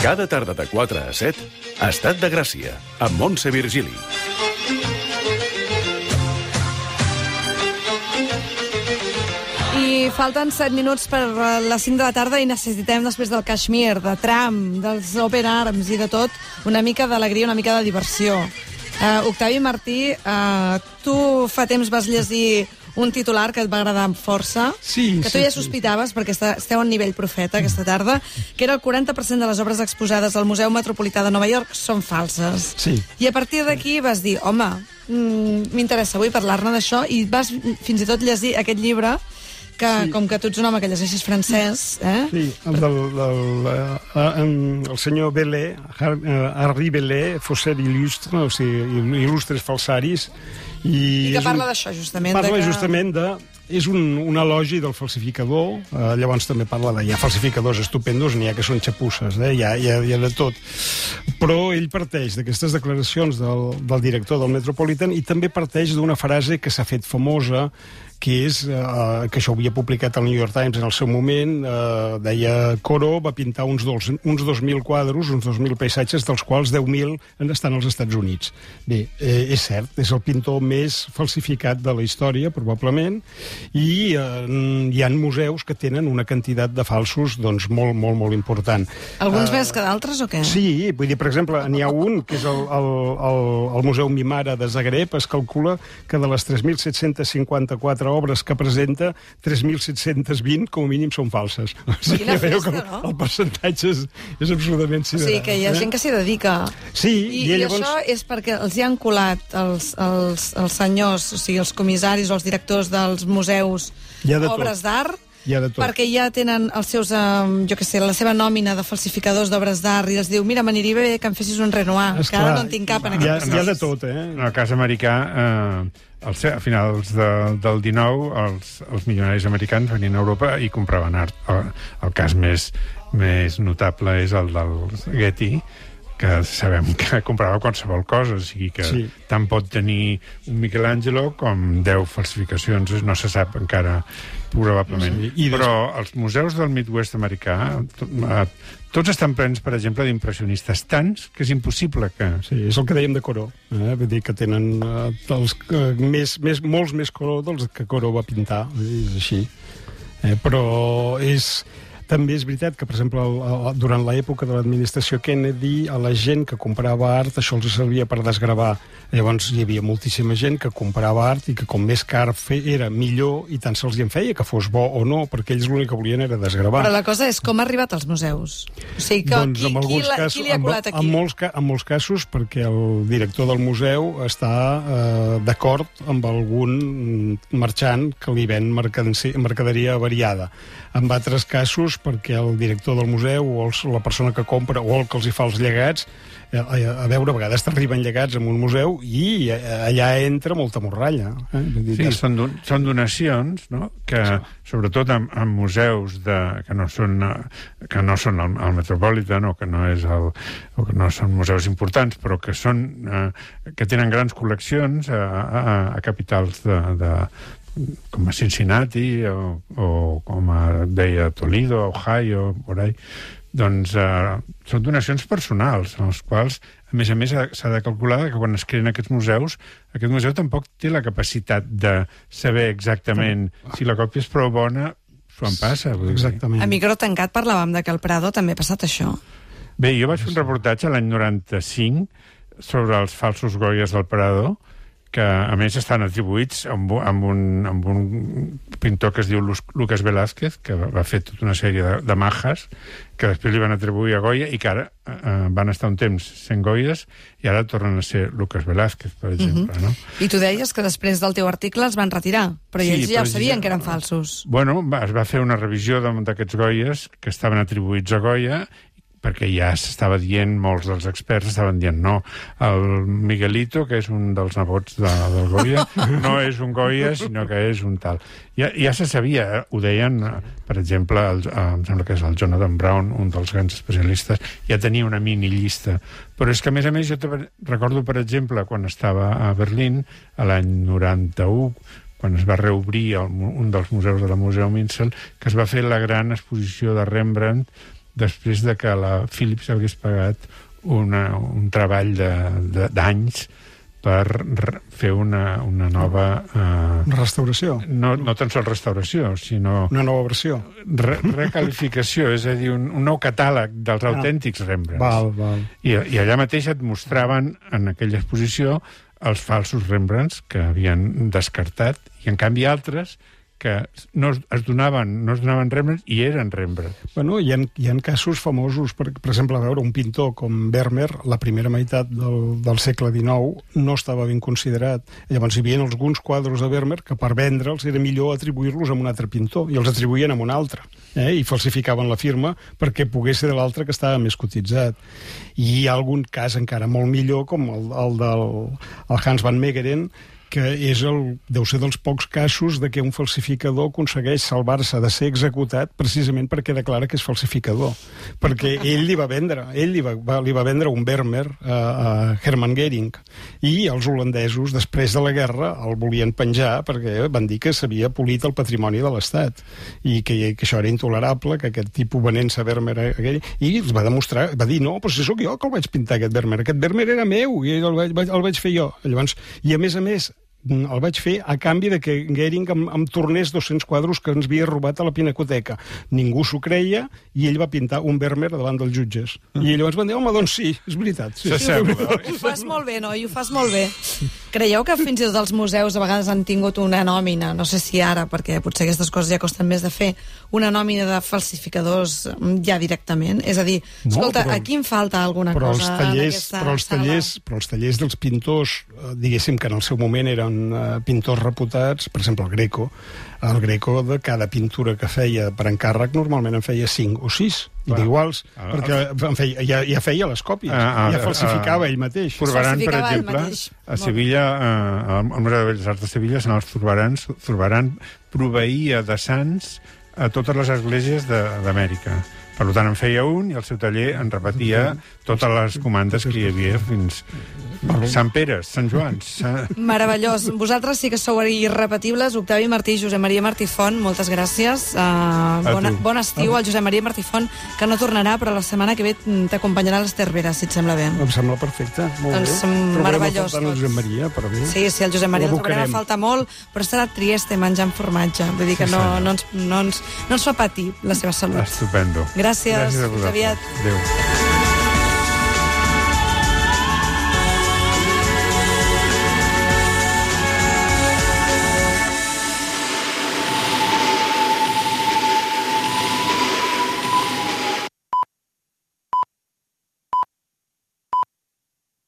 Cada tarda de 4 a 7, Estat de Gràcia, amb Montse Virgili. I falten 7 minuts per les 5 de la tarda i necessitem, després del Kashmir, de Trump, dels Open Arms i de tot, una mica d'alegria, una mica de diversió. Octavi Martí, tu fa temps vas llegir un titular que et va agradar amb força, que tu ja sospitaves, perquè esteu a nivell profeta aquesta tarda, que era el 40% de les obres exposades al Museu Metropolità de Nova York són falses. Sí. I a partir d'aquí vas dir, home, m'interessa avui parlar-ne d'això, i vas fins i tot llegir aquest llibre que, com que tu ets un home que llegeixes francès... Sí, el senyor Bellet, Henri Bellet, Fausset il·lustre, o sigui, il·lustres falsaris, i que parla d'això, justament. Parla justament de... És un elogi del falsificador, llavors també parla de... Hi ha falsificadors estupendos, n'hi ha que són xapusses, hi ha de tot. Però ell parteix d'aquestes declaracions del director del Metropolitan i també parteix d'una frase que s'ha fet famosa, que és que això ho havia publicat al New York Times en el seu moment, deia Corot va pintar uns 2.000 quadros, uns 2.000 paisatges, dels quals 10.000 estan als Estats Units. Bé, és cert, és el pintor més falsificat de la història, probablement, i hi ha museus que tenen una quantitat de falsos doncs, molt, molt, molt important. Alguns més que d'altres o què? Sí, vull dir, per exemple, n'hi ha un, que és el Museu Mimara de Zagreb, es calcula que de les 3.754 obres que presenta, 3.720 com a mínim són falses. O sigui, quina festa, que no? El percentatge és absolutament sideral. O sigui, que hi ha gent que s'hi dedica. Sí, I llavors... això és perquè els hi han colat els senyors, o sigui, els comissaris o els directors dels museus, obres d'art, perquè ja tenen els seus, jo què sé, la seva nòmina de falsificadors d'obres d'art i els diu, mira, m'aniria bé que em fessis un Renoir, que ara no en tinc cap en aquest Hi ha de tot, En el cas americà, a finals del 19, els milionaris americans venien a Europa i compraven art. El cas més notable és el del Getty, que sabem que comprava qualsevol cosa, o sigui que tant pot tenir un Michelangelo com 10 falsificacions, no se sap encara probablement. Però els museus del Midwest americà tots estan plens, per exemple, d'impressionistes tants que és impossible que... Sí, és el que dèiem de Corot. Vull dir que tenen molts més Corot dels que Corot va pintar, és així. Però també és veritat que, per exemple, durant l'època de l'administració Kennedy, a la gent que comprava art això els servia per desgravar. Llavors hi havia moltíssima gent que comprava art i que com més car era millor, i tant se'ls en feia que fos bo o no, perquè ells l'únic que volien era desgravar. Però la cosa és com ha arribat als museus. O sigui, qui li ha colat aquí? En molts casos perquè el director del museu està d'acord amb algun marxant que li ven mercaderia variada. En altres casos perquè el director del museu o la persona que compra o el que els hi fa els llegats, a veure, a vegades t'arriben llegats en un museu i allà entra molta morralla. Sí, són donacions, no? Que sobretot en museus que no són el Metropolitan o que no són museus importants, però que tenen grans col·leccions a capitals com a Cincinnati o com deia Toledo, Ohio, por ahí, doncs són donacions personals, en les quals, a més, s'ha de calcular que quan es creen aquests museus, aquest museu tampoc té la capacitat de saber exactament si la còpia és prou bona, s'ho en passa. Exactament. A micro tancat parlàvem de que al Prado també ha passat això. Bé, jo vaig fer un reportatge l'any 95 sobre els falsos Goyas del Prado, que a més estan atribuïts amb un pintor que es diu Lucas Velázquez, que va fer tota una sèrie de majas que després li van atribuir a Goya i que ara van estar un temps sent Goyes i ara tornen a ser Lucas Velázquez, per exemple. No? I tu deies que després del teu article els van retirar, però ells ja ho sabien que eren falsos. Bueno, es va fer una revisió d'aquests Goyes que estaven atribuïts a Goya, perquè ja s'estava dient, molts dels experts estaven dient no, el Miguelito, que és un dels nebots del Goya, no és un Goya, sinó que és un tal. Ja se sabia, ho deien, per exemple, em sembla que és el Jonathan Brown, un dels grans especialistes, ja tenia una mini llista. Però és que, a més, jo recordo, per exemple, quan estava a Berlín, a l'any 91, quan es va reobrir un dels museus de la Museu Minzel, que es va fer la gran exposició de Rembrandt després de que la Philips hagués pagat un treball d'anys per fer una nova... Restauració. No tan sols restauració, sinó... Una nova versió. Recalificació, és a dir, un nou catàleg dels autèntics Rembrandts. Val. I allà mateix et mostraven, en aquella exposició, els falsos Rembrandts que havien descartat, i en canvi altres que no es donaven Rembrandt i eren Rembrandt. Bueno, hi ha casos famosos, per exemple, a veure, un pintor com Vermeer, la primera meitat del segle XIX, no estava ben considerat. Llavors hi havia alguns quadres de Vermeer que per vendre'ls era millor atribuir-los a un altre pintor, i els atribuïen a un altre, i falsificaven la firma perquè pogués ser de l'altre que estava més cotitzat. I hi ha algun cas encara molt millor, com el del Hans van Meegeren, que deu ser dels pocs casos de què un falsificador aconsegueix salvar-se de ser executat precisament perquè declara que és falsificador. Perquè ell li va vendre un Vermeer a Hermann Göring, i els holandesos, després de la guerra, el volien penjar perquè van dir que s'havia polit el patrimoni de l'Estat i que això era intolerable, que aquest tipus venent-se Vermeer a aquell, i els va demostrar, va dir, no, però si sóc jo que el vaig pintar, aquest Vermeer era meu i el vaig fer jo. Llavors, i a més, el vaig fer a canvi de que Göring em tornés 200 quadros que ens havia robat a la Pinacoteca. Ningú s'ho creia i ell va pintar un Vermeer davant dels jutges. I llavors van dir, home, doncs sí, és veritat. Sí. Ho fas molt bé, noi, ho fas molt bé. Creieu que fins i tot els museus a vegades han tingut una nòmina, no sé si ara, perquè potser aquestes coses ja costen més de fer, una nòmina de falsificadors ja directament? És a dir, escolta, aquí em falta alguna cosa en aquesta sala. Però els tallers dels pintors, diguéssim que en el seu moment eren pintors reputats, per exemple el Greco de cada pintura que feia per encàrrec normalment en feia 5 o 6 d'iguals, perquè ja feia les còpies, ja falsificava ell mateix. Zurbarán, per exemple, a Sevilla, al Museu de Belles Arts de Sevilla, en els Zurbarán proveïa de sants a totes les esglésies d'Amèrica. Per tant, en feia un i el seu taller en repetia totes les comandes que hi havia fins Sant Pere, Sant Joans. Meravellós. Vosaltres sí que sou irrepetibles. Octavi Martí, Josep Maria Martí Font, moltes gràcies. Bon estiu al Josep Maria Martí Font, que no tornarà, però la setmana que ve t'acompanyarà l'Ester Vera, si et sembla bé. Em sembla perfecte. Molt doncs bé. meravellós. El Josep Maria, però bé. Sí, el Josep Maria ens trobarà a falta molt, però estarà a Trieste menjant formatge. Vull dir que no ens fa patir la seva salut. Estupendo. Gràcies. Fins aviat. Adéu.